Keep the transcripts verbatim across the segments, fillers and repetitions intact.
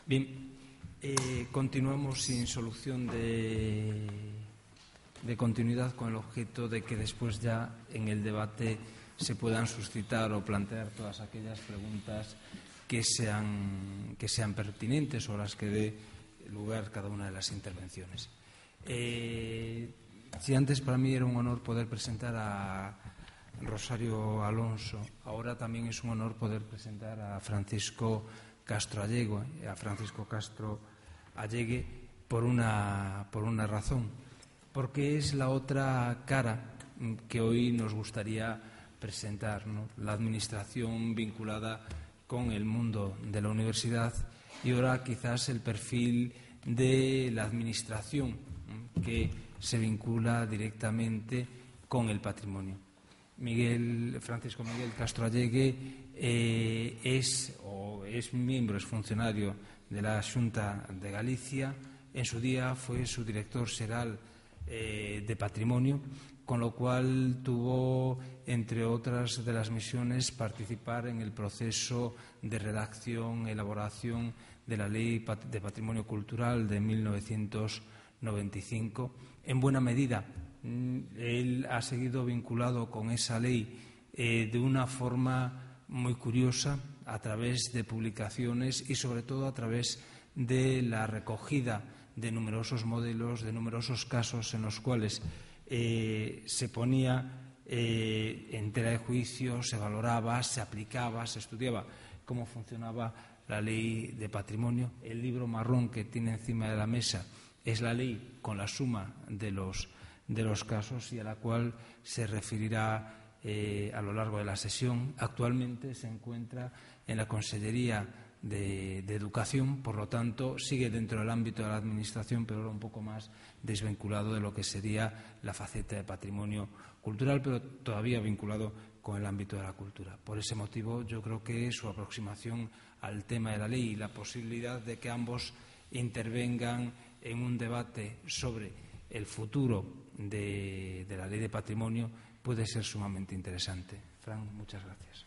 Bien, eh, continuamos sin solución de, de continuidad con el objeto de que después ya en el debate se puedan suscitar o plantear todas aquellas preguntas que sean, que sean pertinentes o las que dé lugar cada una de las intervenciones. Eh, si antes para mí era un honor poder presentar a Rosario Alonso, ahora también es un honor poder presentar a Francisco Castro Allego, a Francisco Castro Allegue por una, por una razón, porque es la otra cara que hoy nos gustaría presentar, ¿no? La administración vinculada con el mundo de la universidad y ahora quizás el perfil de la administración que se vincula directamente con el patrimonio. Miguel, Francisco Miguel Castro Allegue eh, es, o es miembro, es funcionario de la Xunta de Galicia. En su día fue su director xeral eh, de Patrimonio, con lo cual tuvo, entre otras de las misiones, participar en el proceso de redacción, elaboración de la Ley de Patrimonio Cultural de mil novecientos noventa y cinco. En buena medida, él ha seguido vinculado con esa ley eh, de una forma muy curiosa, a través de publicaciones y sobre todo a través de la recogida de numerosos modelos, de numerosos casos en los cuales eh, se ponía eh, en tela de juicio, se valoraba, se aplicaba, se estudiaba cómo funcionaba la ley de patrimonio. El libro marrón que tiene encima de la mesa es la ley con la suma de los de los casos y a la cual se referirá eh, a lo largo de la sesión. Actualmente se encuentra en la Consellería de, de Educación, por lo tanto sigue dentro del ámbito de la Administración, pero ahora un poco más desvinculado de lo que sería la faceta de patrimonio cultural, pero todavía vinculado con el ámbito de la cultura. Por ese motivo yo creo que su aproximación al tema de la ley y la posibilidad de que ambos intervengan en un debate sobre el futuro de, de la Lei de Patrimonio puede ser sumamente interesante. Fran, muchas gracias.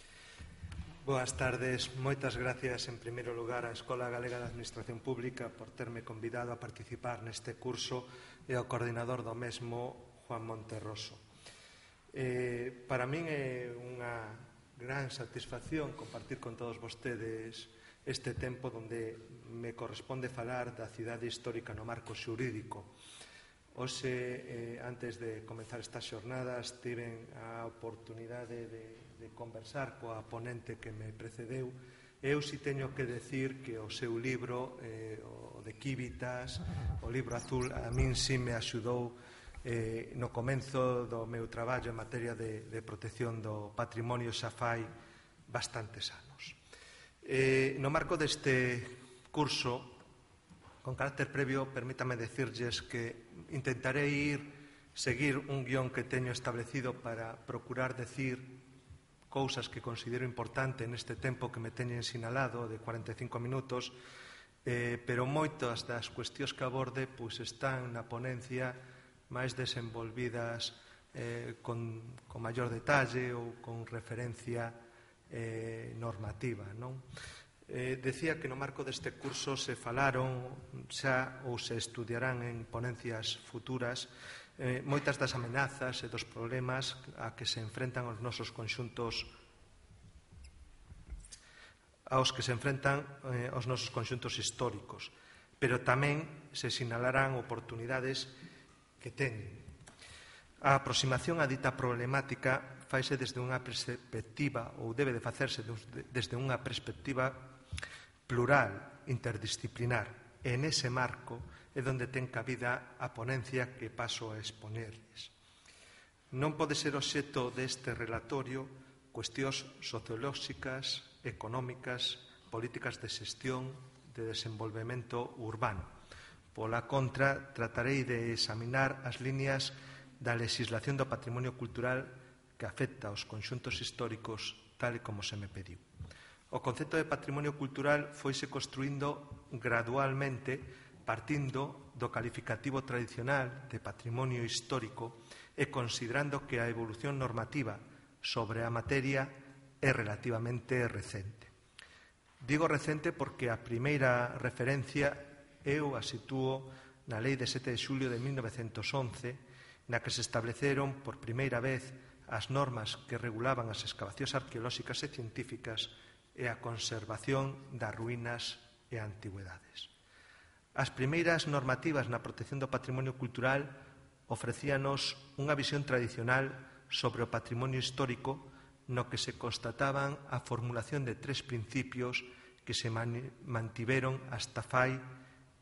Boas tardes. Moitas gracias, en primeiro lugar, á Escola Galega de Administración Pública por terme convidado a participar neste curso e ao coordinador do mesmo, Juan Monterroso. Eh, para min é unha gran satisfacción compartir con todos vostedes este tempo onde me corresponde falar da cidade histórica no marco xurídico. Hoxe, eh, antes de comenzar estas xornadas, tiven a oportunidade de, de conversar coa ponente que me precedeu. Eu si teño que decir que o seu libro, eh, o de Quívitas, o libro azul, a min si me axudou eh, no comenzo do meu traballo en materia de, de protección do patrimonio xa fai bastantes anos. Eh, no marco deste curso, con carácter previo, permítame decirlles que intentaré ir, seguir un guión que teño establecido para procurar decir cousas que considero importante neste tempo que me teñen sinalado de cuarenta e cinco minutos, eh, pero moitas das cuestións que aborde pois, están na ponencia máis desenvolvidas eh, con, con maior detalle ou con referencia eh, normativa, non? Eh, decía que no marco deste curso se falaron xa ou se estudiarán en ponencias futuras eh, moitas das amenazas e dos problemas a que se enfrentan os nosos conxuntos aos que se enfrentan eh, os nosos conxuntos históricos, pero tamén se sinalarán oportunidades que teñen. A aproximación a dita problemática faise desde unha perspectiva ou debe de facerse desde unha perspectiva plural, interdisciplinar. E nese marco é onde ten cabida a ponencia que paso a exponerles. Non pode ser obxecto deste relatorio cuestións sociolóxicas, económicas, políticas de xestión, de desenvolvemento urbano. Pola contra, tratarei de examinar as líneas da legislación do patrimonio cultural que afecta aos conxuntos históricos tal e como se me pediu. O concepto de patrimonio cultural foise construindo gradualmente partindo do calificativo tradicional de patrimonio histórico e considerando que a evolución normativa sobre a materia é relativamente recente. Digo recente porque a primeira referencia eu a sitúo na Lei de sete de xulio de mil novecentos once, na que se estableceron por primeira vez as normas que regulaban as excavacións arqueolóxicas e científicas e a conservación das ruínas e antigüedades. As primeiras normativas na protección do patrimonio cultural ofrecíanos unha visión tradicional sobre o patrimonio histórico no que se constataban a formulación de tres principios que se mantiveron hasta fai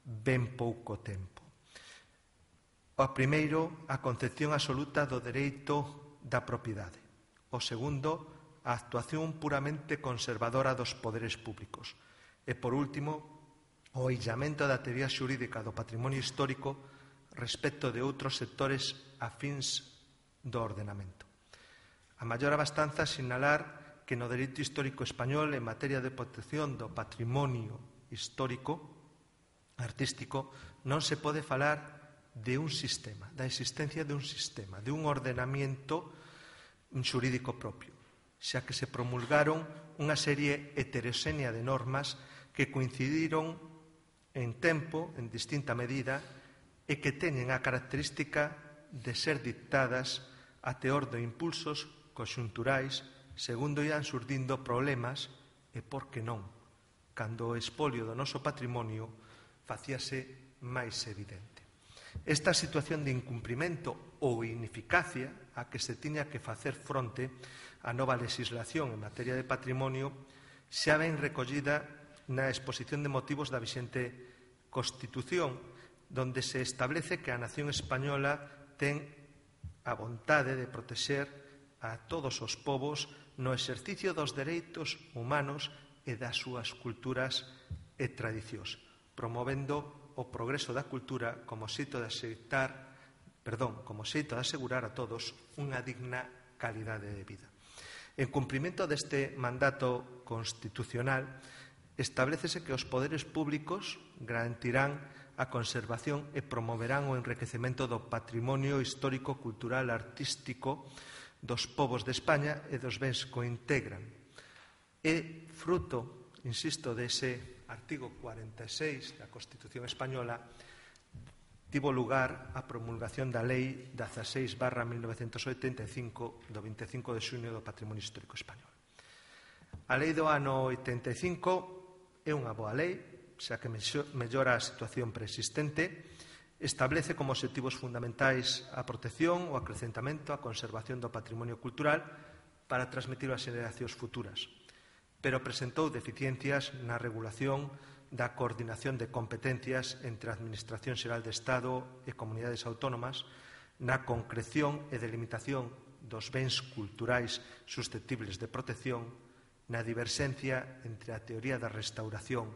ben pouco tempo. O primeiro, a concepción absoluta do dereito da propiedade. O segundo, a actuación puramente conservadora dos poderes públicos. E, por último, o illamento da teoría xurídica do patrimonio histórico respecto de outros sectores afíns do ordenamento. A maior abastanza sinalar que no dereito histórico español en materia de protección do patrimonio histórico artístico non se pode falar de un sistema, da existencia de un sistema, de un ordenamento xurídico propio, xa que se promulgaron unha serie heteroxénea de normas que coincidiron en tempo, en distinta medida, e que teñen a característica de ser dictadas a teor de impulsos conxunturais segundo ian surdindo problemas e, por que non, cando o expolio do noso patrimonio facíase máis evidente. Esta situación de incumprimento ou ineficacia a que se tiña que facer fronte a nova legislación en materia de patrimonio xa ven recollida na exposición de motivos da vixente Constitución, donde se establece que a nación española ten a vontade de protexer a todos os povos no exercicio dos dereitos humanos e das súas culturas e tradicións, promovendo o progreso da cultura como xeito de asegurar, perdón, como xeito de asegurar a todos unha digna calidade de vida. En cumprimento deste mandato constitucional, establécese que os poderes públicos garantirán a conservación e promoverán o enriquecemento do patrimonio histórico, cultural, artístico dos povos de España e dos bens que o integran. É fruto, insisto, dese artigo cuarenta e seis da Constitución Española, tivo lugar a promulgación da Lei dieciséis barra mil novecentos oitenta e cinco do vinte e cinco de xuño do Patrimonio Histórico Español. A Lei do ano oitenta e cinco é unha boa lei, xa que mellora a situación preexistente, establece como obxectivos fundamentais a protección, o acrecentamento, a conservación do patrimonio cultural para transmitir ás xeracións futuras, pero presentou deficiencias na regulación da coordinación de competencias entre a Administración Xeral de Estado e comunidades autónomas, na concreción e delimitación dos bens culturais susceptibles de protección, na diverxencia entre a teoría da restauración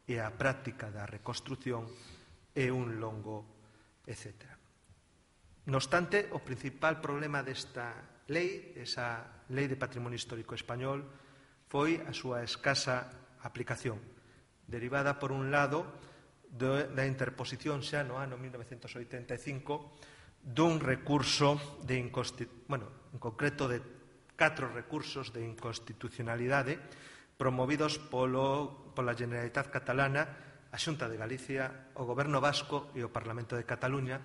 e a práctica da reconstrución e un longo etcétera. No obstante, o principal problema desta lei, esa Lei de Patrimonio Histórico Español, foi a súa escasa aplicación, derivada, por un lado, da interposición xa no ano mil novecentos oitenta e cinco dun recurso de inconstitucionalidade, bueno, en concreto de catro recursos de inconstitucionalidade promovidos polo, pola Generalitat Catalana, a Xunta de Galicia, o Goberno Vasco e o Parlamento de Cataluña,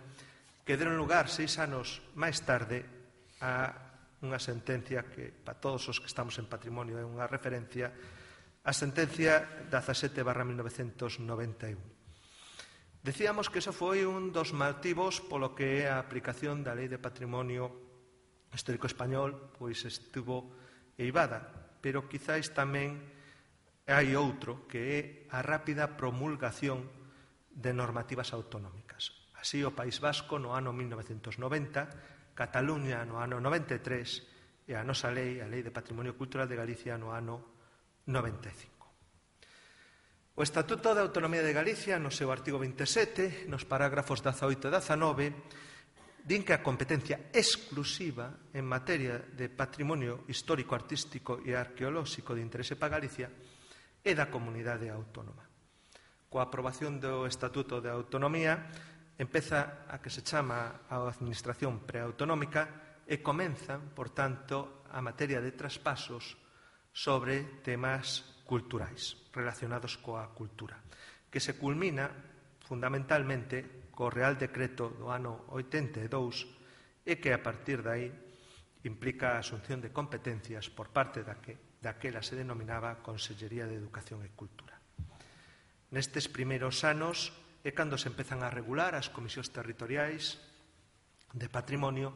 que deron lugar seis anos máis tarde a unha sentencia que, para todos os que estamos en patrimonio, é unha referencia, a sentencia dezasete barra mil novecentos noventa e un. Decíamos que eso foi un dos motivos polo que a aplicación da Lei de Patrimonio Histórico Español pois estuvo eivada, pero quizáis tamén hai outro, que é a rápida promulgación de normativas autonómicas. Así, o País Vasco no ano mil novecentos noventa, Cataluña no ano noventa e tres e a nosa lei, a Lei de Patrimonio Cultural de Galicia, no ano noventa e cinco. O Estatuto de Autonomía de Galicia, no seu artigo vinte e sete, nos parágrafos dezaoito e dezanove, din que a competencia exclusiva en materia de patrimonio histórico, artístico e arqueolóxico de interese para Galicia é da comunidade autónoma. Coa aprobación do Estatuto de Autonomía, empeza a que se chama a Administración Preautonómica e comenzan, por tanto, a materia de traspasos sobre temas culturais relacionados coa cultura, que se culmina fundamentalmente co Real Decreto do ano oitenta e dous e que a partir de aí implica a asunción de competencias por parte da que daquela se denominaba Consellería de Educación e Cultura. Nestes primeiros anos é cando se empezan a regular as comisións territoriais de patrimonio,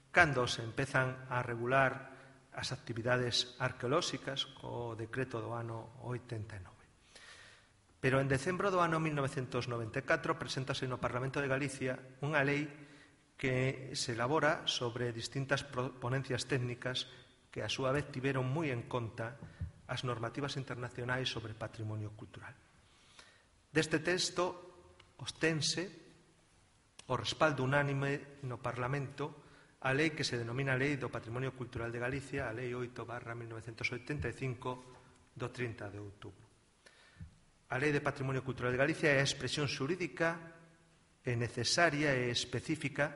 cando se empezan a regular as actividades arqueolóxicas co decreto do ano oitenta e nove. Pero en decembro do ano mil novecentos noventa e catro preséntase no Parlamento de Galicia unha lei que se elabora sobre distintas ponencias técnicas que a súa vez tiveron moi en conta as normativas internacionais sobre patrimonio cultural. Deste texto obtense o respaldo unánime no Parlamento a lei que se denomina Lei do Patrimonio Cultural de Galicia, a Lei oito barra mil novecentos oitenta e cinco do trinta de outubro. A Lei de Patrimonio Cultural de Galicia é a expresión xurídica e necesaria e específica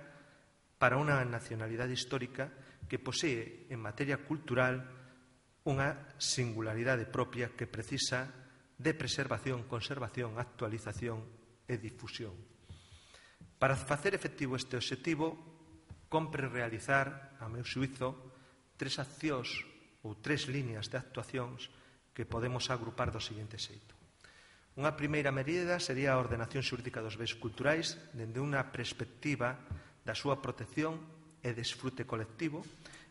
para unha nacionalidade histórica que posee en materia cultural unha singularidade propia que precisa de preservación, conservación, actualización e difusión. Para facer efectivo este obxectivo, compre realizar, a meu xuízo, tres accións ou tres líneas de actuacións que podemos agrupar do seguinte xeito. Unha primeira medida sería a ordenación xurídica dos bens culturais dende unha perspectiva da súa protección e desfrute colectivo,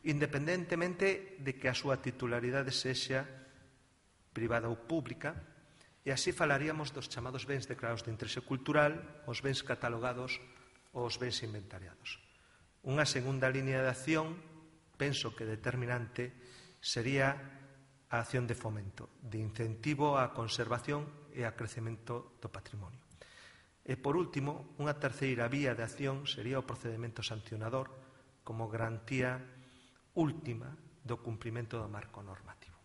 independentemente de que a súa titularidade sexa privada ou pública, e así falaríamos dos chamados bens declarados de interese cultural, os bens catalogados ou os bens inventariados. Unha segunda línea de acción, penso que determinante, sería a acción de fomento, de incentivo á conservación e a crecemento do patrimonio. E, por último, unha terceira vía de acción sería o procedimento sancionador como garantía última do cumprimento do marco normativo.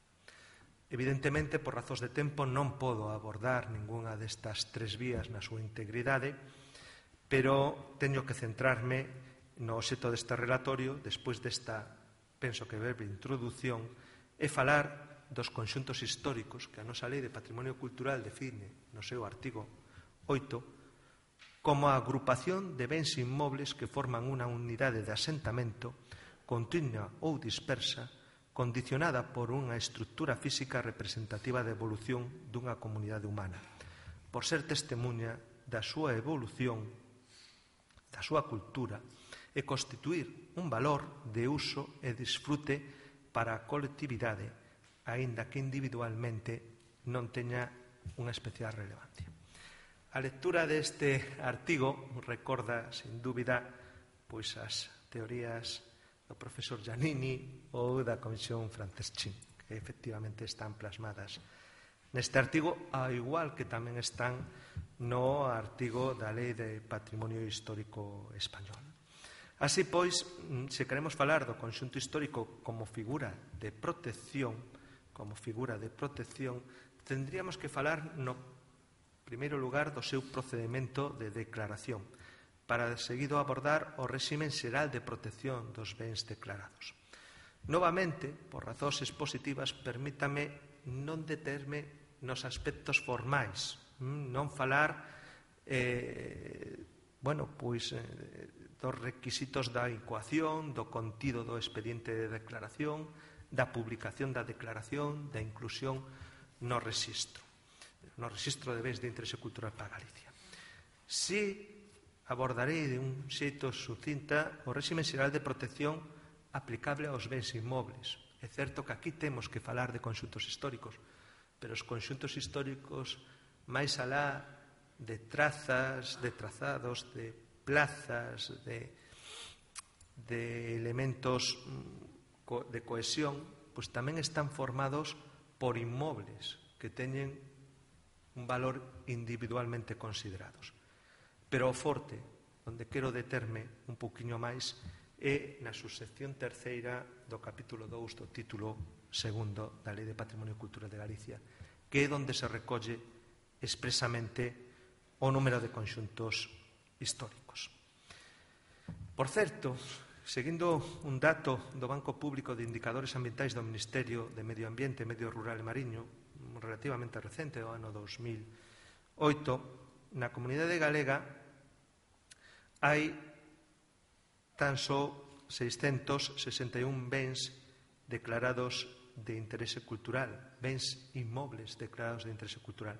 Evidentemente, por razóns de tempo, non podo abordar ningunha destas tres vías na súa integridade, pero teño que centrarme no obxecto deste relatorio, despois desta, penso que breve introdución, e falar dos conxuntos históricos que a nosa Lei de Patrimonio Cultural define no seu artigo oito como a agrupación de bens inmobles que forman unha unidade de asentamento continua ou dispersa condicionada por unha estructura física representativa da evolución dunha comunidade humana, por ser testemunha da súa evolución, da súa cultura, e constituir un valor de uso e disfrute para a colectividade, aínda que individualmente non teña unha especial relevancia. A lectura deste artigo recorda, sin dúbida, pois as teorías do profesor Giannini ou da Comisión Franceschín, que efectivamente están plasmadas neste artigo, ao igual que tamén están no artigo da Lei de Patrimonio Histórico Español. Así pois, se queremos falar do conxunto histórico como figura de protección, como figura de protección, tendríamos que falar no primeiro lugar do seu procedimento de declaración, para seguido abordar o réximen xeral de protección dos bens declarados. Novamente, por razóns expositivas, permítame non determe nos aspectos formais, non falar eh, bueno, pois, eh, dos requisitos da incoación, do contido do expediente de declaración, da publicación da declaración, da inclusión no rexistro, no rexistro de bens de interese cultural para Galicia. Si abordarei de un xeito sucinta o réximen xeral de protección aplicable aos bens inmobles. É certo que aquí temos que falar de conxuntos históricos, pero os conxuntos históricos máis alá de trazas, de trazados, de plazas, de, de elementos de cohesión, pois tamén están formados por inmobles que teñen un valor individualmente considerados. Pero o forte, onde quero determe un pouquiño máis, é na subsección terceira do capítulo dous do título segundo da Lei de Patrimonio Cultural de Galicia, que é onde se recolle expresamente o número de conxuntos históricos. Por certo, seguindo un dato do Banco Público de Indicadores Ambientais do Ministerio de Medio Ambiente, Medio Rural e Mariño, relativamente recente, o ano dos mil oito, na comunidade galega hai tan só seiscentos sesenta e un bens declarados de interese cultural, bens inmobles declarados de interese cultural.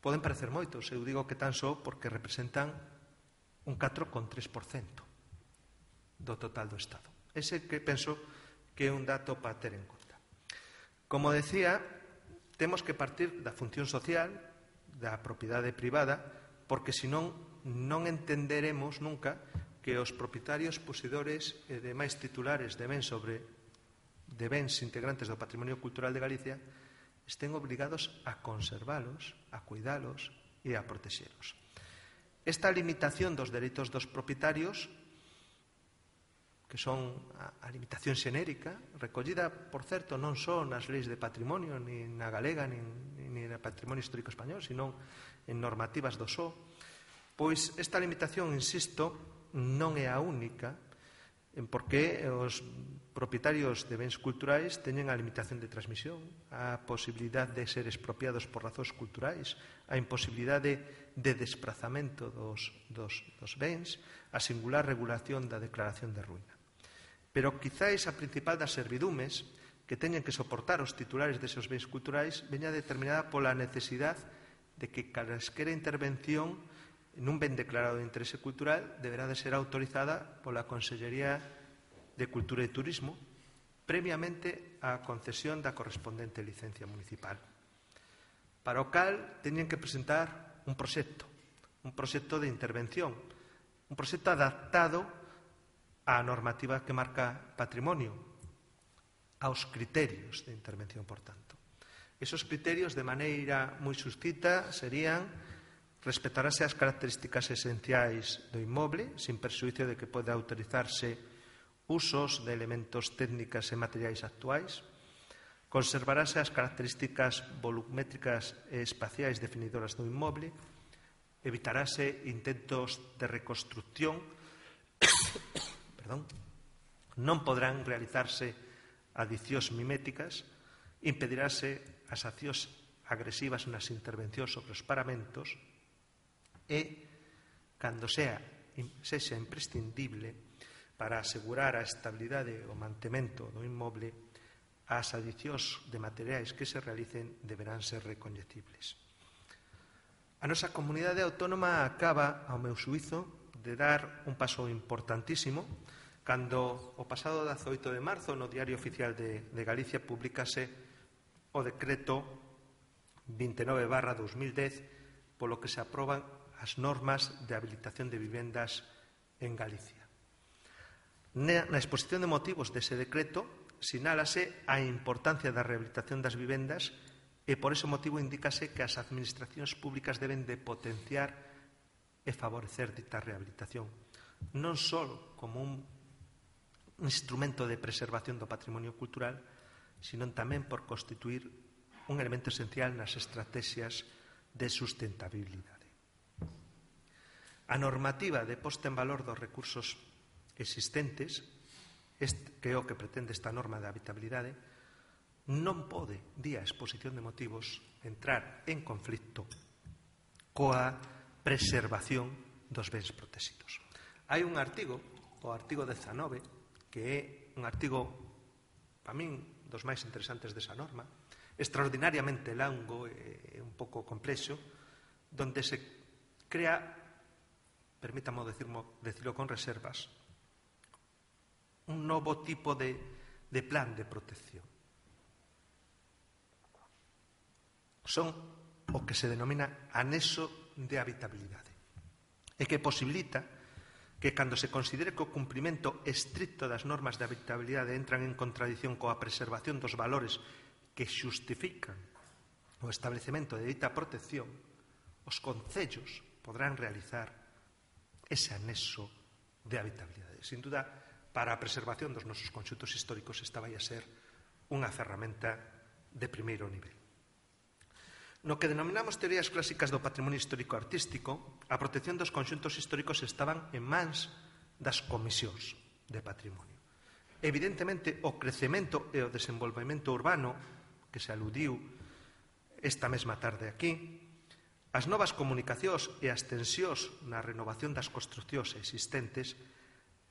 Poden parecer moitos, eu digo que tan só porque representan un catro coma tres por cento do total do Estado. Ese que penso que é un dato para ter en conta. Como decía, temos que partir da función social, da propiedade privada, porque senón non entenderemos nunca que os propietarios poseedores e demais titulares de bens sobre de bens integrantes do patrimonio cultural de Galicia estén obrigados a conservalos, a cuidalos e a protexelos. Esta limitación dos dereitos dos propietarios, que son a limitación xenérica, recollida, por certo, non só nas leis de patrimonio, ni na galega, ni na patrimonio histórico español, sino en normativas do S O, pois esta limitación, insisto, non é a única, porque os propietarios de bens culturais teñen a limitación de transmisión, a posibilidade de ser expropiados por razóns culturais, a imposibilidade de desprazamento dos, dos, dos bens, a singular regulación da declaración de ruína. Pero quizáis a principal das servidumes que teñen que soportar os titulares deses bens culturais veña determinada pola necesidade de que calesquera intervención nun ben declarado de interese cultural deberá de ser autorizada pola Consellería de Cultura e Turismo previamente á concesión da correspondente licencia municipal. Para o cal teñen que presentar un proxecto, un proxecto de intervención, un proxecto adaptado á normativa que marca patrimonio, aos criterios de intervención, por tanto. Esos criterios, de maneira moi suscita, serían respetarase as características esenciais do inmoble, sin perxuízo de que poda autorizarse usos de elementos técnicas e materiais actuais, conservarase as características volumétricas e espaciais definidoras do inmoble, evitarase intentos de reconstrucción, perdón, non podrán realizarse adicións miméticas, impedirase as accións agresivas nas intervencións sobre os paramentos e, cando sea, sexa imprescindible para asegurar a estabilidade e o mantemento do inmoble, as adicións de materiais que se realicen deberán ser recoñecibles. A nosa comunidade autónoma acaba, ao meu xuízo, de dar un paso importantísimo cando o pasado dezaoito de marzo no Diario Oficial de, de Galicia publicase o decreto vinte e nove barra dos mil dez polo que se aproban as normas de habilitación de vivendas en Galicia. Na, na exposición de motivos dese decreto sinálase a importancia da rehabilitación das vivendas e por ese motivo indícase que as administracións públicas deben de potenciar e favorecer dita rehabilitación, non só como un instrumento de preservación do patrimonio cultural, sino tamén por constituir un elemento esencial nas estrategias de sustentabilidade. A normativa de posta en valor dos recursos existentes, que é o que pretende esta norma de habitabilidade, non pode, día a exposición de motivos, entrar en conflito coa preservación dos bens protegidos. Hai un artigo, o artigo dezanove, que é un artigo, para min, dos máis interesantes desa norma, extraordinariamente longo e un pouco complexo, donde se crea, permítamo decirlo, decirlo con reservas, un novo tipo de, de plan de protección. Son o que se denomina anexo de habitabilidade e que posibilita que cando se considere que o cumprimento estricto das normas de habitabilidade entran en contradición coa preservación dos valores que xustifican o establecemento de dita protección, os concellos podrán realizar ese anexo de habitabilidade. Sin duda, para a preservación dos nosos conxuntos históricos esta vai a ser unha ferramenta de primeiro nivel. No que denominamos teorías clásicas do patrimonio histórico-artístico, a protección dos conxuntos históricos estaban en mans das comisións de patrimonio. Evidentemente, o crecemento e o desenvolvemento urbano, que se aludiu esta mesma tarde aquí, as novas comunicacións e as tensións na renovación das construcións existentes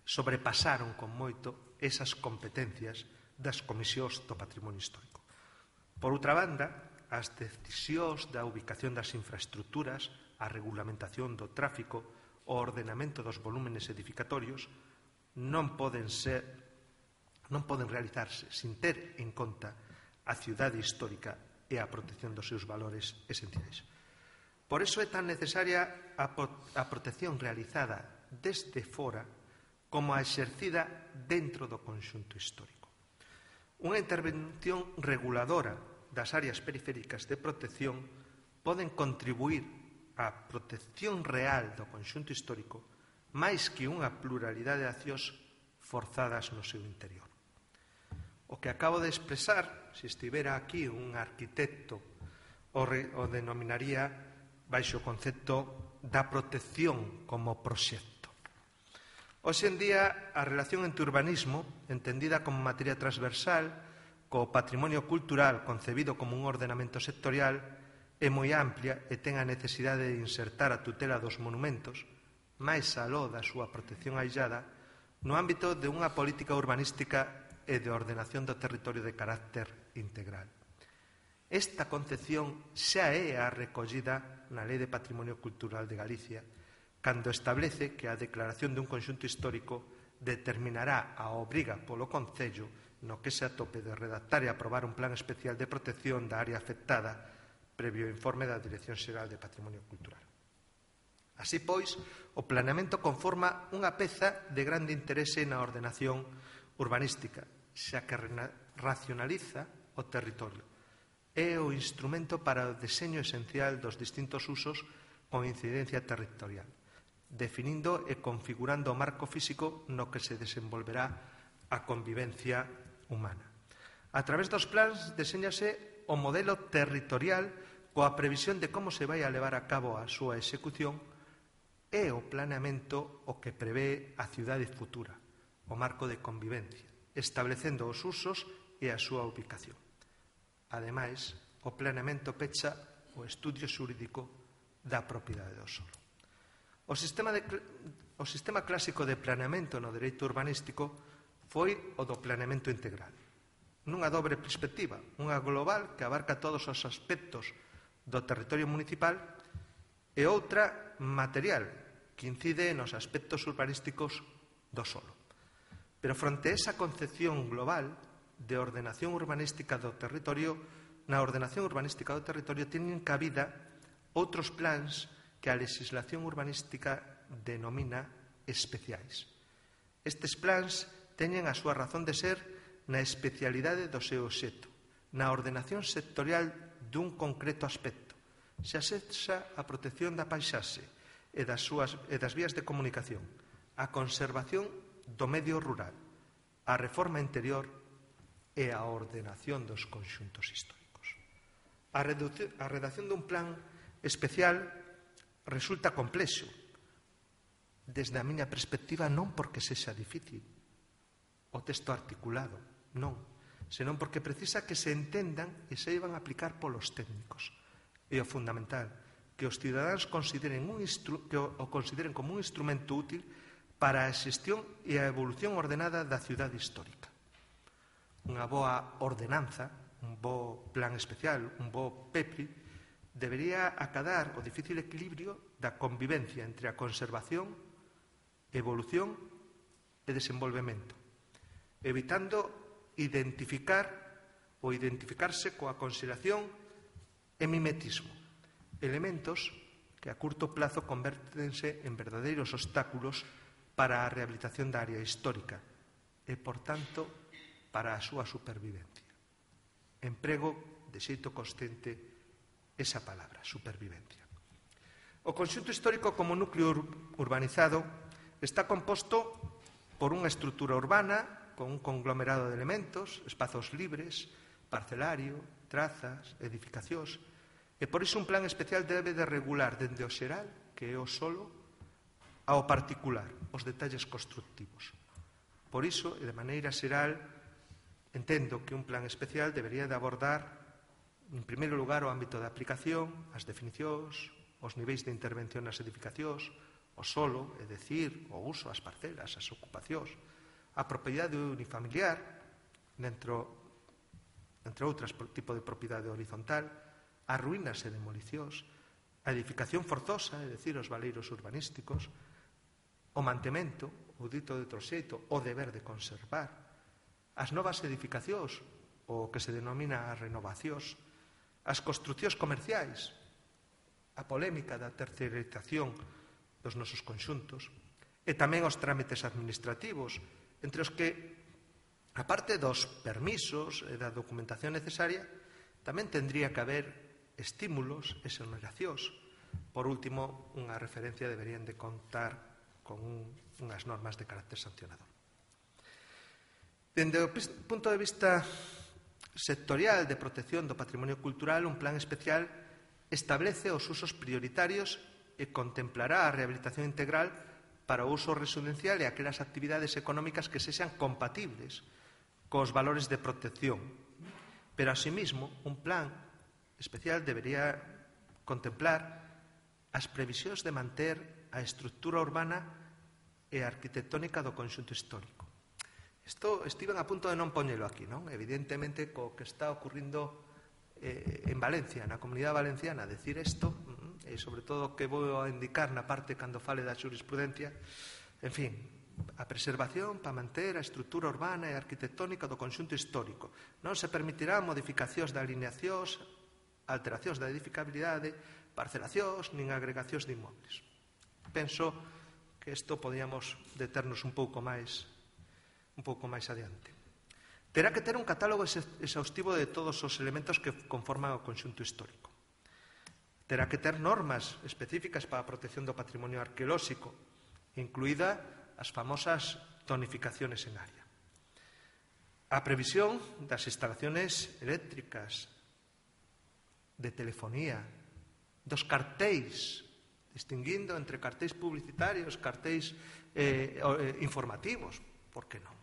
sobrepasaron con moito esas competencias das comisións do patrimonio histórico. Por outra banda, as decisións da ubicación das infraestructuras, a regulamentación do tráfico, o ordenamento dos volúmenes edificatorios non poden ser, non poden realizarse sin ter en conta a cidade histórica e a protección dos seus valores esenciais. Por iso é tan necesaria a, a protección realizada desde fora como a exercida dentro do conxunto histórico. Unha intervención reguladora das áreas periféricas de protección poden contribuir á protección real do conxunto histórico máis que unha pluralidade de accións forzadas no seu interior. O que acabo de expresar, se estivera aquí un arquitecto, o, re, o denominaría baixo o concepto da protección como proxecto. Hoxe en día, a relación entre urbanismo, entendida como materia transversal, co patrimonio cultural concebido como un ordenamento sectorial, é moi amplia e ten a necesidade de insertar a tutela dos monumentos, máis aló da súa protección aillada, no ámbito de unha política urbanística e de ordenación do territorio de carácter integral. Esta concepción xa é a recollida na Lei de Patrimonio Cultural de Galicia, cando establece que a declaración dun conxunto histórico determinará a obriga polo Concello no que se atope de redactar e aprobar un plan especial de protección da área afectada previo informe da Dirección Xeral de Patrimonio Cultural. Así pois, o planeamento conforma unha peza de grande interese na ordenación urbanística, xa que racionaliza o territorio. É o instrumento para o deseño esencial dos distintos usos con incidencia territorial, definindo e configurando o marco físico no que se desenvolverá a convivencia humana. A través dos plans deséñase o modelo territorial coa previsión de como se vai a levar a cabo a súa execución e o planeamento o que prevé a cidade futura, o marco de convivencia, establecendo os usos e a súa ubicación. Ademais, o planeamento pecha o estudio xurídico da propiedade do solo. O sistema, de, o sistema clásico de planeamento no dereito urbanístico foi o do planeamento integral, nunha dobre perspectiva, unha global que abarca todos os aspectos do territorio municipal e outra material, que incide nos aspectos urbanísticos do solo. Pero fronte a esa concepción global de ordenación urbanística do territorio, na ordenación urbanística do territorio teñen cabida outros plans que a legislación urbanística denomina especiais. Estes plans teñen a súa razón de ser na especialidade do seu obxecto, na ordenación sectorial dun concreto aspecto, xa sexa a protección da paisaxe e das, súas, e das vías de comunicación, a conservación do medio rural, a reforma interior e a ordenación dos conxuntos históricos. A, a redacción dun plan especial resulta complexo, desde a miña perspectiva, non porque sexa difícil o texto articulado, non, senón porque precisa que se entendan e se iban a aplicar polos técnicos. E o fundamental, que os cidadáns consideren un instru- que o, o consideren como un instrumento útil para a xestión e a evolución ordenada da cidade histórica. Unha boa ordenanza, un bo plan especial, un bo P E P R I, debería acadar o difícil equilibrio da convivencia entre a conservación, evolución e desenvolvemento, evitando identificar ou identificarse coa consideración e mimetismo, elementos que a curto plazo convértense en verdadeiros obstáculos para a rehabilitación da área histórica e, por tanto, para a súa supervivencia. Emprego de xeito consciente esa palabra, supervivencia. O conxunto histórico como núcleo urbanizado está composto por unha estrutura urbana con un conglomerado de elementos, espazos libres, parcelario, trazas, edificacións, e por iso un plan especial debe de regular dende o xeral, que é o solo, ao particular, os detalles constructivos. Por iso, e de maneira xeral, entendo que un plan especial debería de abordar En primeiro lugar, o ámbito de aplicación, as definicións, os niveis de intervención nas edificacións, o solo, é dicir, o uso, as parcelas, as ocupacións, a propiedade unifamiliar, dentro, entre outras, tipo de propiedade horizontal, as ruínas e demolicións, a edificación forzosa, é dicir, os valeiros urbanísticos, o mantemento, o dito de outro xeito, o deber de conservar, as novas edificacións, o que se denomina as renovacións, as construcións comerciais, a polémica da terceirización dos nosos conxuntos, e tamén os trámites administrativos, entre os que, aparte dos permisos e da documentación necesaria, tamén tendría que haber estímulos e exoneracións. Por último, unha referencia deberían de contar con un, unhas normas de carácter sancionador. Dende o punto de vista sectorial de protección do patrimonio cultural, un plan especial establece os usos prioritarios e contemplará a rehabilitación integral para o uso residencial e aquelas actividades económicas que sexan compatibles cos valores de protección. Pero, asimismo, un plan especial debería contemplar as previsións de manter a estructura urbana e arquitectónica do conxunto histórico. Isto estiven a punto de non poñelo aquí, non? Evidentemente, co que está ocurrindo eh, en Valencia, na comunidade valenciana, decir isto, e sobre todo que vou a indicar na parte cando fale da xurisprudencia, en fin, a preservación para manter a estructura urbana e arquitectónica do conxunto histórico. Non se permitirá modificacións de alineacións, alteracións da edificabilidade, parcelacións, nin agregacións de inmobles. Penso que isto podíamos deternos un pouco máis un pouco máis adiante. Terá que ter un catálogo exhaustivo de todos os elementos que conforman o conxunto histórico. Terá que ter normas específicas para a protección do patrimonio arqueolóxico, incluída as famosas zonificaciones en área. A previsión das instalaciones eléctricas, de telefonía, dos cartéis, distinguindo entre cartéis publicitarios, cartéis eh, informativos, por que non?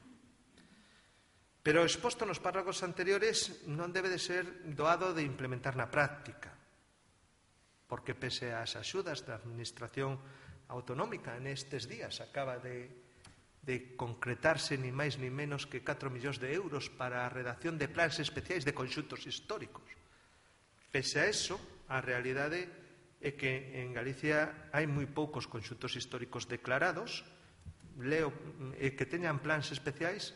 Pero o exposto nos párrafos anteriores non debe de ser doado de implementar na práctica, porque pese ás axudas da Administración Autonómica nestes días acaba de, de concretarse ni máis ni menos que catro millóns de euros para a redacción de plans especiais de conxuntos históricos. Pese a eso, a realidade é que en Galicia hai moi poucos conxuntos históricos declarados, leo eh, que teñan plans especiais,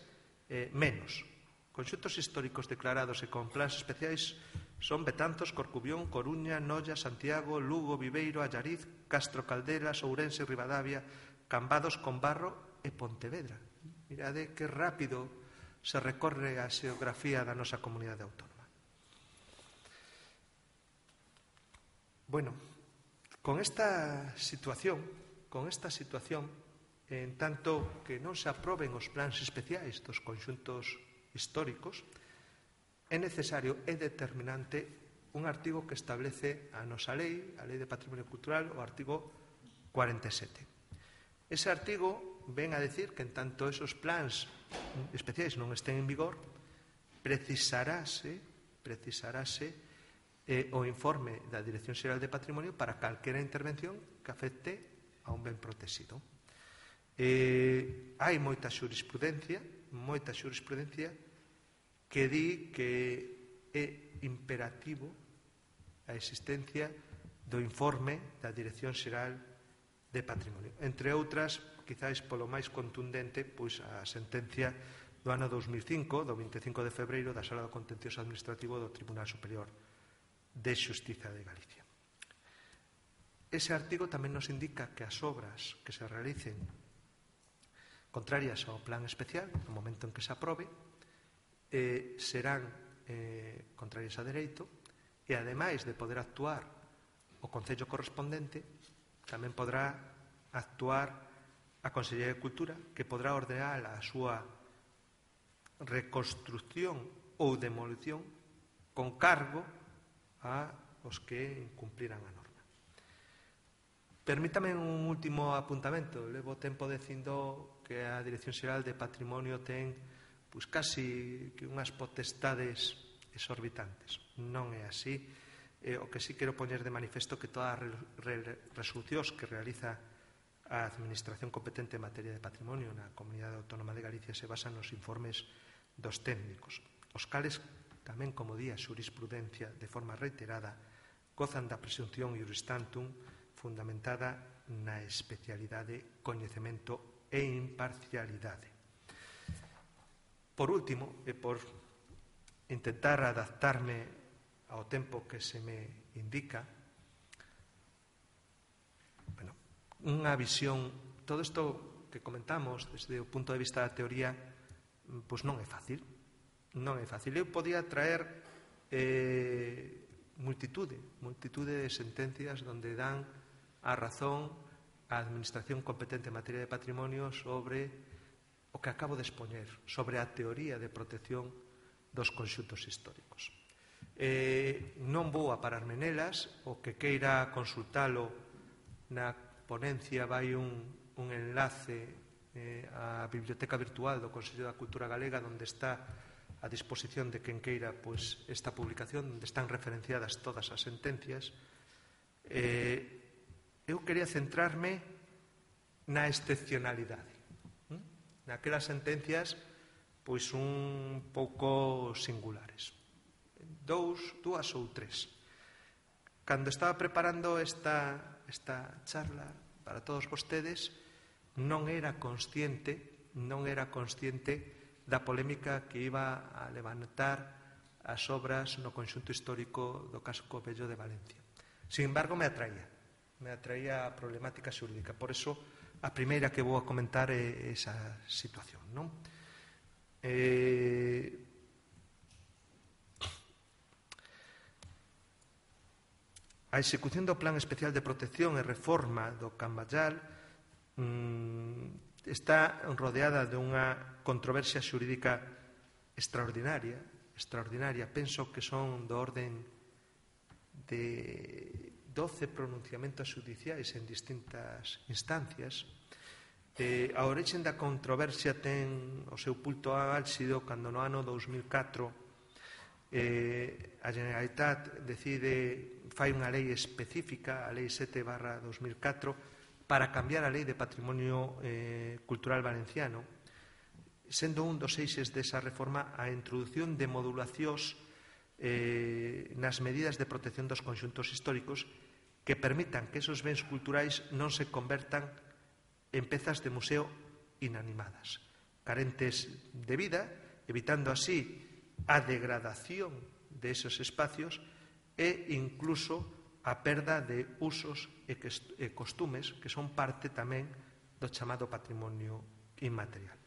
eh, menos. Conxuntos históricos declarados e con plans especiais son Betanzos, Corcubión, Coruña, Noia, Santiago, Lugo, Viveiro, Allariz, Castro Caldelas, Ourense, Ribadavia, Cambados, Combarro e Pontevedra. Mirade que rápido se recorre a xeografía da nosa comunidade autónoma. Bueno, con esta situación, con esta situación, en tanto que non se aproben os plans especiais dos conxuntos históricos, é necesario, é determinante, un artigo que establece a nosa lei, a Lei de Patrimonio Cultural, o artigo cuarenta e sete. Ese artigo ven a decir que en tanto esos plans especiais non estén en vigor, precisarase, precisarase eh, o informe da Dirección Xeral de Patrimonio para calquera intervención que afecte a un ben protegido. Eh, hai moita xurisprudencia, moita xurisprudencia que di que é imperativo a existencia do informe da Dirección Xeral de Patrimonio. Entre outras, quizáis polo máis contundente, pois a sentencia do ano dos mil cinco, do vinte e cinco de febreiro, da Sala do Contencioso Administrativo do Tribunal Superior de Xustiza de Galicia. Ese artigo tamén nos indica que as obras que se realicen contrarias ao plan especial, no momento en que se aprobe, eh, serán eh, contrarias a dereito e, ademais de poder actuar o Concello correspondente, tamén podrá actuar a Consellería de Cultura, que podrá ordenar a súa reconstrucción ou demolición con cargo a os que incumpliran a norma. Permítame un último apuntamento. Levo tempo dicindo que a Dirección Xeral de Patrimonio ten pois casi que unhas potestades exorbitantes. Non é así. Eh, o que sí quero poñer de manifesto que todas as re re resolucións que realiza a Administración competente en materia de patrimonio na Comunidade Autónoma de Galicia se basan nos informes dos técnicos, os cales tamén, como di a xurisprudencia de forma reiterada, gozan da presunción iuris tantum fundamentada na especialidade, coñecemento e imparcialidade. Por último, e por intentar adaptarme ao tempo que se me indica, bueno, unha visión, todo isto que comentamos desde o punto de vista da teoría, pois non é fácil, non é fácil. Eu podía traer eh, multitude, multitude de sentencias donde dan a razón á Administración competente en materia de patrimonio sobre o que acabo de expoñer, sobre a teoría de protección dos conxuntos históricos. Eh, non vou a pararme nelas, o que queira consultalo na ponencia vai un, un enlace eh, á biblioteca virtual do Consello da Cultura Galega, onde está a disposición de quen queira pois, esta publicación, onde están referenciadas todas as sentencias. Eh, eu quería centrarme na excepcionalidade, ¿eh? Naquelas sentencias pois un pouco singulares. Dous, dúas ou tres. Cando estaba preparando esta, esta charla para todos vostedes, non era consciente, non era consciente da polémica que iba a levantar as obras no conxunto histórico do Casco Vello de Valencia. Sin embargo, me atraía, me atraía a problemática xurídica. Por eso, a primeira que vou a comentar é esa situación, non? Eh, a execución do Plan Especial de Protección e Reforma do Camballal mmm, está rodeada de unha controversia xurídica extraordinaria, extraordinaria. Penso que son do orden de doce pronunciamentos xudiciais en distintas instancias. Eh, a orixe da controversia ten o seu punto álxido cando no ano dous mil catro eh, a Generalitat decide, fai unha lei específica, a lei sete barra dos mil catro, para cambiar a lei de patrimonio eh, cultural valenciano, sendo un dos eixes desa reforma a introdución de modulacións eh, nas medidas de protección dos conxuntos históricos que permitan que esos bens culturais non se convertan en pezas de museo inanimadas, carentes de vida, evitando así a degradación de esos espacios e incluso a perda de usos e costumes que son parte tamén do chamado patrimonio inmaterial.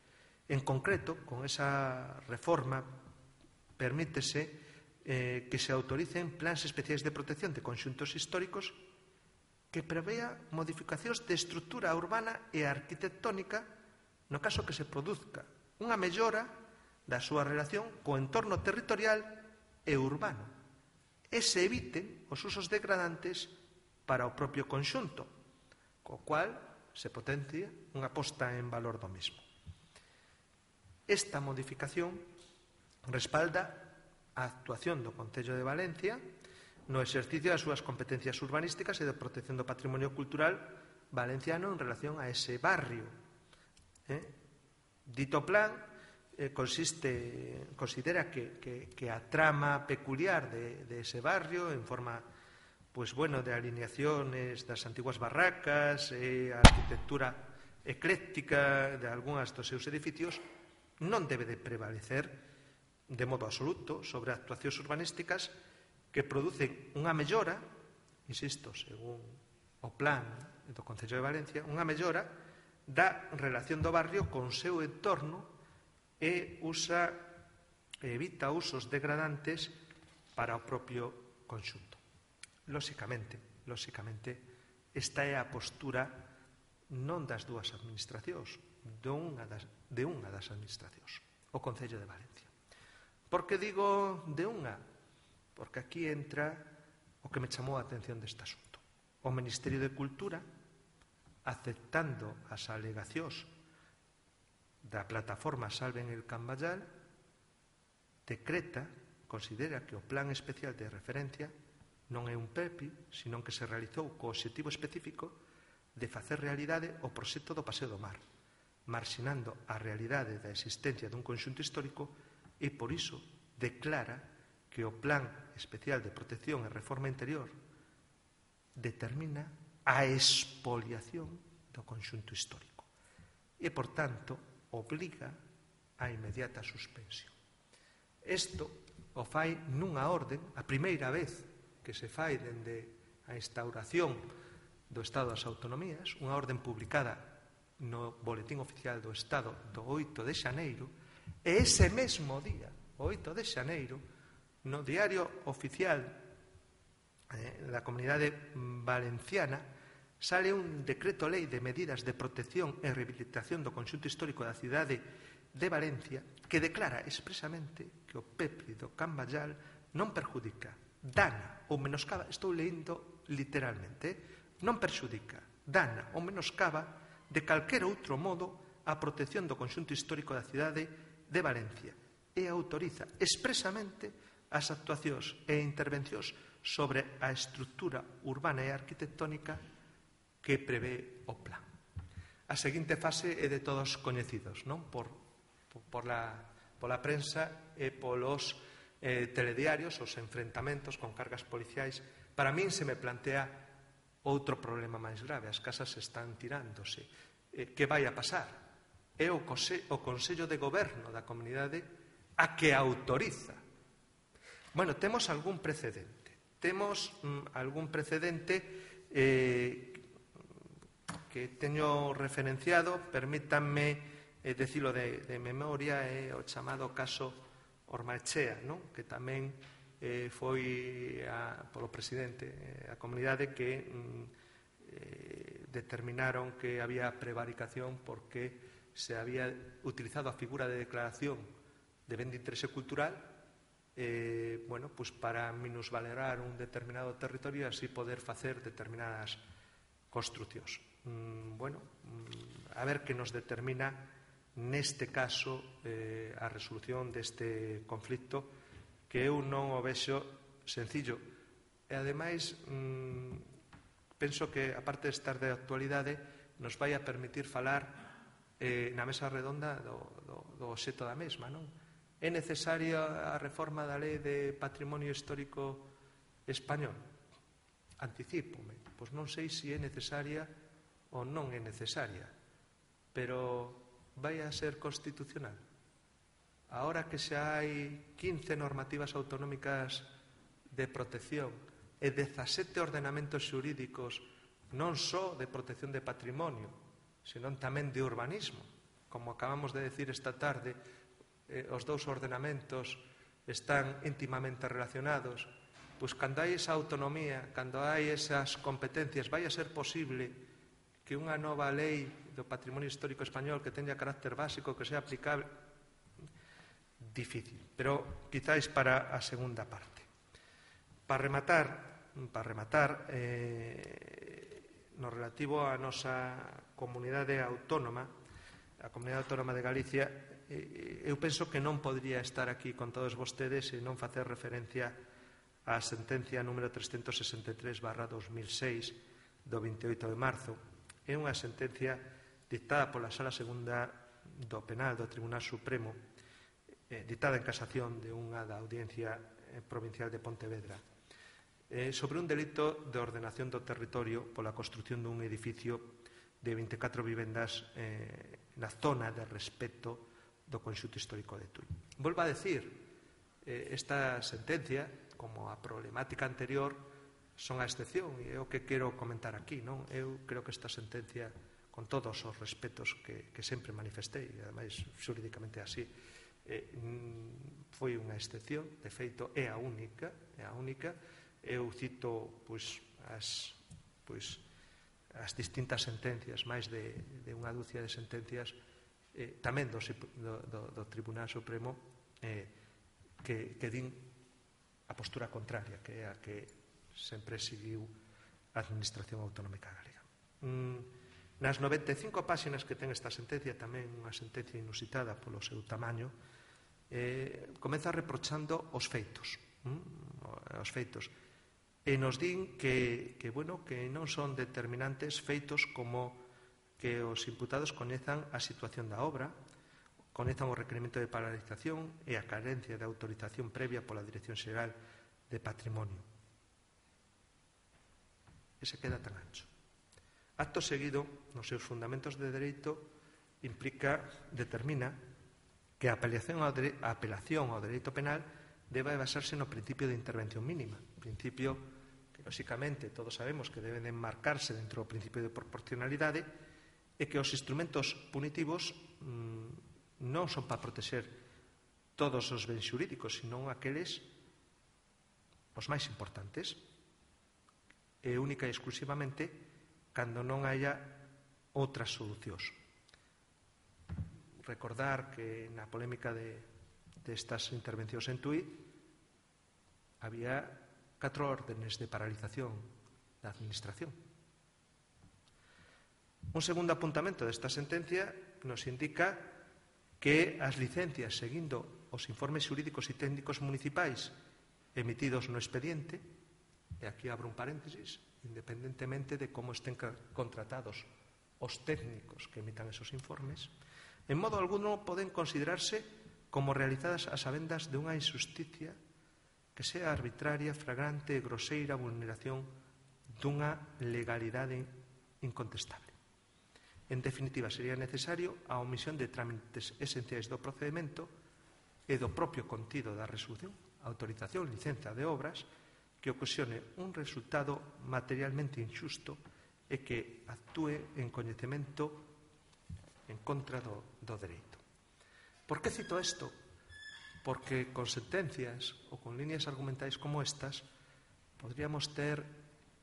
En concreto, con esa reforma permítese eh, que se autoricen plans especiais de protección de conxuntos históricos que prevea modificacións de estrutura urbana e arquitectónica no caso que se produzca unha mellora da súa relación co entorno territorial e urbano e se eviten os usos degradantes para o propio conxunto, co cual se potencia unha posta en valor do mesmo. Esta modificación respalda a actuación do Concello de Valencia no exercicio das súas competencias urbanísticas e de protección do patrimonio cultural valenciano en relación a ese barrio. Eh? Dito plan eh, consiste, considera que, que, que a trama peculiar de, de ese barrio en forma pues, bueno, de alineaciones das antiguas barracas e a arquitectura ecléctica de algunhas dos seus edificios non debe de prevalecer de modo absoluto sobre actuacións urbanísticas que producen unha mellora, insisto, según o plan do Concello de Valencia, unha mellora da relación do barrio con o seu entorno e usa, evita usos degradantes para o propio conxunto. Lóxicamente, lóxicamente, esta é a postura non das dúas administracións, de unha das, de unha das administracións, o Concello de Valencia. Por que digo de unha? Porque aquí entra o que me chamou a atención deste asunto. O Ministerio de Cultura, aceptando as alegacións da plataforma Salven el Camballal, decreta considera que o Plan Especial de Referencia non é un P E P I, sino que se realizou co obxectivo específico de facer realidade o proxecto do Paseo do Mar, marxinando a realidade da existencia dun conxunto histórico e, por iso, declara que o Plan Especial de Protección e Reforma Interior determina a expoliación do conxunto histórico e, por tanto, obliga a inmediata suspensión. Isto o fai nunha orden, a primeira vez que se fai dende a instauración do Estado das Autonomías, unha orden publicada no Boletín Oficial do Estado do oito de xaneiro, e ese mesmo día, o oito de xaneiro, no Diario Oficial eh, da Comunidade Valenciana sale un decreto lei de medidas de protección e rehabilitación do conxunto histórico da cidade de Valencia que declara expresamente que o P E P I do Can Bayal non perjudica, dana ou menoscaba, estou lendo literalmente, non perxudica, dana ou menoscaba de calquera outro modo a protección do conxunto histórico da cidade de Valencia e autoriza expresamente as actuacións e intervencións sobre a estrutura urbana e arquitectónica que prevé o plan. A seguinte fase é de todos coñecidos, non? Por, por, por la, pola prensa e polos eh, telediarios, os enfrentamentos con cargas policiais. Para min se me plantea outro problema máis grave. As casas están tirándose. Eh, que vai a pasar? É o, cose, o Consello de Goberno da Comunidade a que autoriza. Bueno, temos algún precedente. Temos mm, algún precedente eh, que teño referenciado, permítanme eh, decilo de, de memoria, é eh, o chamado caso Ormaechea, non? Que tamén eh, foi a, polo presidente eh, a comunidade que mm, eh, determinaron que había prevaricación porque se había utilizado a figura de declaración de ben de interese cultural eh, bueno, pues para minusvalorar un determinado territorio e así poder facer determinadas construcións. Mm, bueno, mm, a ver que nos determina neste caso eh, a resolución deste conflicto que eu non o vexo sencillo. E ademais, mm, penso que, aparte de estar de actualidade, nos vai a permitir falar eh, na mesa redonda do, do, do obxecto da mesma, non? É necesaria a reforma da Lei de Patrimonio Histórico Español? Anticípome. Pois non sei se é necesaria ou non é necesaria, pero vai a ser constitucional. Ahora que xa hai quince normativas autonómicas de protección e dezasete ordenamentos xurídicos non só de protección de patrimonio, senón tamén de urbanismo, como acabamos de decir esta tarde, eh, os dous ordenamentos están íntimamente relacionados. Pois cando hai esa autonomía, cando hai esas competencias, vai a ser posible que unha nova lei do patrimonio histórico español que teña carácter básico, que sea aplicable? Difícil, pero quizáis para a segunda parte. Para rematar, para rematar eh, no relativo á nosa comunidade autónoma, a Comunidade Autónoma de Galicia, eh, eu penso que non podría estar aquí con todos vostedes e non facer referencia á sentencia número trescentos sesenta e tres barra dos mil seis do veintioito de marzo. É unha sentencia dictada pola Sala Segunda do Penal do Tribunal Supremo, eh, dictada en casación de unha da Audiencia Provincial de Pontevedra, eh, sobre un delito de ordenación do territorio pola construción dun edificio de vinte e catro vivendas eh, na zona de respeto do conxunto histórico de Tui. Volvo a decir, eh, esta sentencia, como a problemática anterior, son a excepción e é o que quero comentar aquí, non? Eu creo que esta sentencia, con todos os respetos que, que sempre manifestei, e ademais xurídicamente así, eh, foi unha excepción, de feito é a única, é a única. Eu cito pois as pois as distintas sentencias, máis de, de unha dúcia de sentencias eh, tamén do, do, do Tribunal Supremo eh, que, que din a postura contraria, que é a que sempre seguiu a Administración Autonómica Galega. Mm, nas noventa e cinco páxinas que ten esta sentencia, tamén unha sentencia inusitada polo seu tamaño, eh, comeza reprochando os feitos, hm? os feitos, e nos din que, que, bueno, que non son determinantes feitos como que os imputados coñezan a situación da obra, coñezan o requerimento de paralización e a carencia de autorización previa pola Dirección Xeral de Patrimonio. E se queda tan ancho. Acto seguido, nos seus fundamentos de dereito, implica, determina que a apelación ao, dere, a apelación ao dereito penal debe basarse no principio de intervención mínima, principio que, lóxicamente, todos sabemos que deben enmarcarse dentro do principio de proporcionalidade e que os instrumentos punitivos mmm, non son para protexer todos os bens xurídicos, senón aqueles os máis importantes, e única e exclusivamente cando non haya outras solucións. Recordar que na polémica de, destas intervencións en Tui había catro órdenes de paralización da administración. Un segundo apuntamento desta sentencia nos indica que as licencias, seguindo os informes xurídicos e técnicos municipais emitidos no expediente, e aquí abro un paréntesis, independentemente de como estén contratados os técnicos que emitan esos informes, en modo alguno poden considerarse como realizadas as sabendas de unha injusticia que sea arbitraria, flagrante e groseira vulneración dunha legalidade incontestable. En definitiva, sería necesario a omisión de trámites esenciais do procedimento e do propio contido da resolución, autorización, licenza de obras, que ocasione un resultado materialmente injusto e que actúe en coñecemento en contra do, do dereito. Por que cito isto? Porque con sentencias ou con líneas argumentais como estas podríamos ter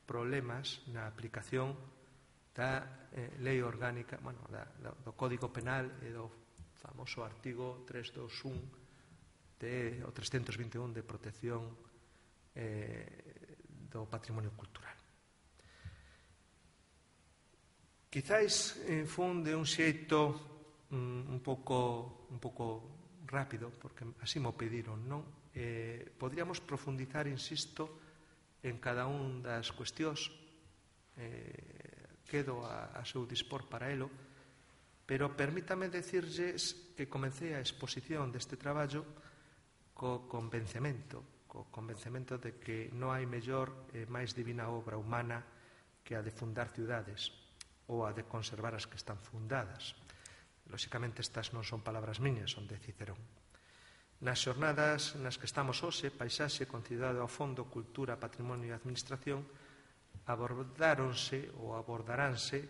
problemas na aplicación da eh, lei orgánica, bueno, da, da, do Código Penal e do famoso artigo trescentos veintiún de, o trescentos vinte e un de protección eh, do patrimonio cultural. Quizáis eh, fun de un xeito mm, un pouco un pouco rápido, porque así mo pediron, non? Eh, podríamos profundizar, insisto, en cada un das cuestións, eh, quedo a, a seu dispor para elo, pero permítame decirlles que comecei a exposición deste traballo co convencemento, co convencemento de que non hai mellor e máis divina obra humana que a de fundar ciudades ou a de conservar as que están fundadas. Lóxicamente, estas non son palabras miñas, son de Cicerón. Nas xornadas nas que estamos hoxe, Paisaxe, con cidade ao fondo, Cultura, Patrimonio e Administración, abordáronse ou abordaránse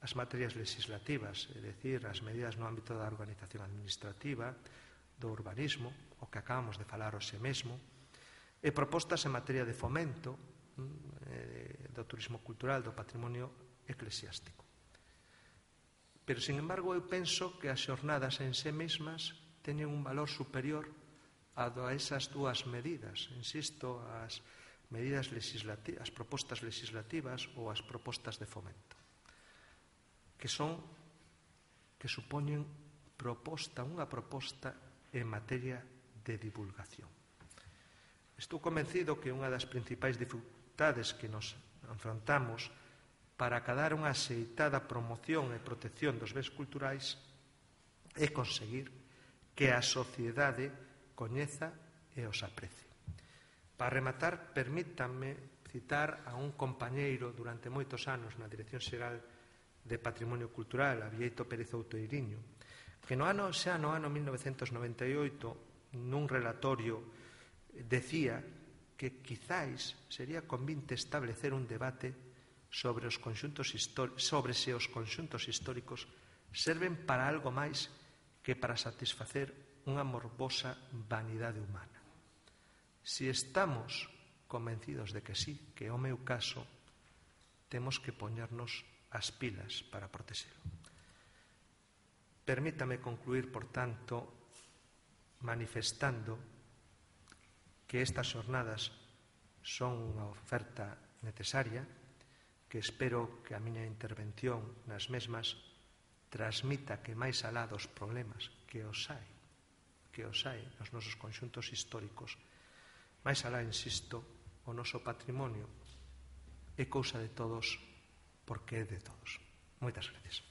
as materias legislativas, é dicir, as medidas no ámbito da organización administrativa, do urbanismo, o que acabamos de falar hoxe mesmo, e propostas en materia de fomento, do turismo cultural, do patrimonio eclesiástico. Pero, sin embargo, eu penso que as xornadas en sí mesmas teñen un valor superior a esas dúas medidas, insisto, as medidas legislativas, as propostas legislativas ou as propostas de fomento, que son, que supoñen proposta, unha proposta en materia de divulgación. Estou convencido que unha das principais dificultades que nos enfrontamos para acadar unha axeitada promoción e protección dos bens culturais é conseguir que a sociedade coñeza e os aprecie. Para rematar, permítanme citar a un compañeiro durante moitos anos na Dirección Xeral de Patrimonio Cultural, a Bieito Pérez Outeiriño, que no ano, xa no ano mil novecentos noventa e oito, nun relatorio, decía que quizáis sería convinte establecer un debate sobre os conxuntos sobre se os conxuntos históricos serven para algo máis que para satisfacer unha morbosa vanidade humana. Si estamos convencidos de que sí, que é o meu caso, temos que poñernos as pilas para protexelo. Permítame concluir, por tanto, manifestando que estas xornadas son unha oferta necesaria, que espero que a miña intervención nas mesmas transmita que máis alá dos problemas que os hai, que os hai nos nosos conxuntos históricos. Mais alá, insisto, o noso patrimonio é cousa de todos porque é de todos. Moitas gracias.